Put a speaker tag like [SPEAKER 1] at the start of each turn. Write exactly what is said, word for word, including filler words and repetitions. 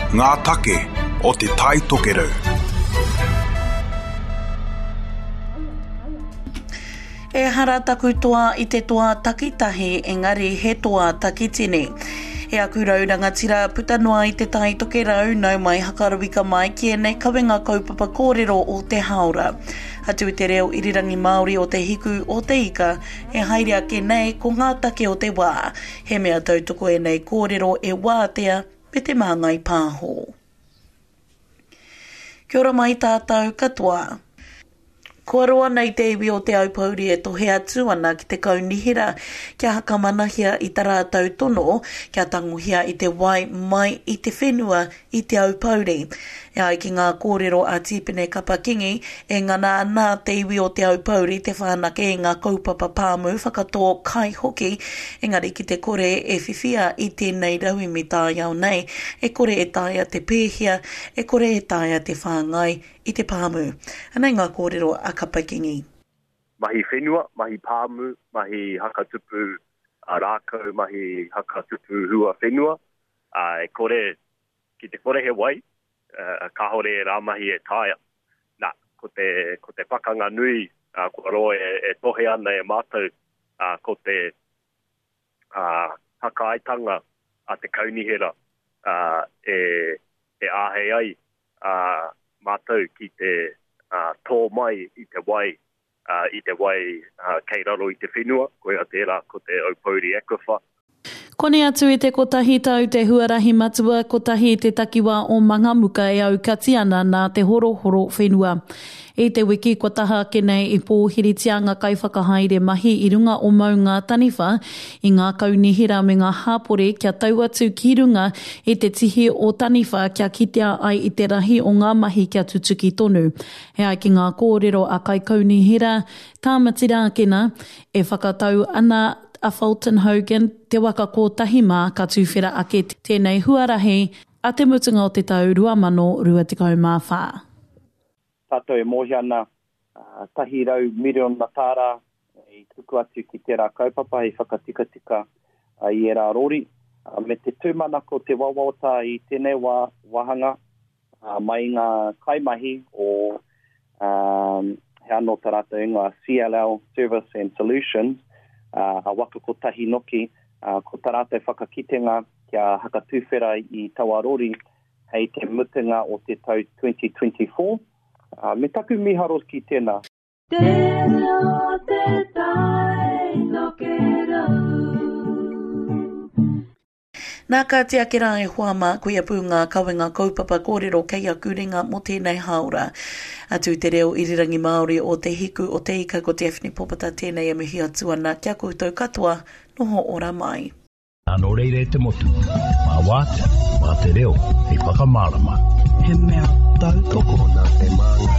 [SPEAKER 1] Ngā take o Te Tai Tokerau.
[SPEAKER 2] Ehara taku toa i te toa takitahi, engari he toa takitini. E aku rau rangatira puta noa i Te Tai Tokerau, nau mai hakaruika mai ki ēnei kawenga kaupapa kōrero o te hāora. Atu i te reo irirangi Māori o Te Hiku o Te Ika, e haere ake nei ko ngā take o te wā. He mea tautoko ēnei kōrero e Wātea me Te Māngai Pāho. Kia ora mai tātou katoa. Kua roa nei te iwi o Te Aupōuri e tohe atu ana ki te kaunihera kia hakamanahia i ta rātou tono kia tangohia i te wai mai i te whenua i Te Aupōuri. E ai ki ngā kōrero a Tīpene Kapa Kingi, e ngana ana te iwi o Te Aupōuri te whanake i ngā kaupapa pāmu whakatō kai hoki, engari ki te kore e whiwhia i tēnei rauemi taiao nei, e kore e taea te pēhia, e kore e taea te whāngai i te pāmu. Anei ngā kōrero a Kapa Kingi.
[SPEAKER 3] Mahi whenua, mahi pāmu, mahi hakatupu rākau, mahi hakatupu hua whenua. E kore, ki te kore he wai, kāhore e rā mahi e taea. Nā, ko te, ko te pakanga nui kua roa e, e tohe ana e mātou, ko te hakaaetanga a te kaunihera e, e āhei ai mātou ki te tō mai i te wai, i te wai kei raro i te whenua, koia tērā ko te Aupōuri Aquifer.
[SPEAKER 4] Koni atu i te kotahi tau te huarahi matua kotahi i te takiwā o Mangamuka e aukati ana nā te horohoro whenua. I te wiki kua taha ake nei i pōhiritia ngā kaiwhakahaere mahi i runga o Maunga Taniwha i ngā kaunihera me ngā hāpori kia tau atu ki runga i te tihi o Taniwha kia kitea ai i te rahi o ngā mahi kia tutuki tonu. E ai ki ngā kōrero a kaikaunihera Tāmati Rākena e whakatau ana a Fulton Hogan te waka kotahi mā ka tuwhera ake tēnei huarahi a te mutunga o te tau rua mano rua tekau mā whā.
[SPEAKER 5] Tātou e mōhio ana tahi rau miriona tāra i tuku atu ki tērā kaupapa i whakatikatika i ērā rori. Me te tūmanako te wawaota i tēnei wā wāhanga mai ngā kaimahi o um, he anō tā rātou ingoa C L L Service and Solutions, a waka kotahi noki, ko tā rātou whakakitenga kia hakatūwhera i taua rori hei te mutunga o te tau twenty twenty-four. Me taku miharo ki tēnā.
[SPEAKER 6] Te reo te tai tokerau.
[SPEAKER 2] Nā ka tiake rā e hoa mā, koia pū ngā kawenga kaupapa kōrero kei aku ringa mō tēnei hāora. Atu te reo irirangi Māori o Te Hiku o Te Ika ko Daphne Popata tēnei e mihi atu ana kia koutou katoa, noho ora mai.
[SPEAKER 7] Nō reira e te motu, mā wātea, mā te reo, hei whakamārama.
[SPEAKER 8] He mea tautoko
[SPEAKER 9] nā Te Māngai.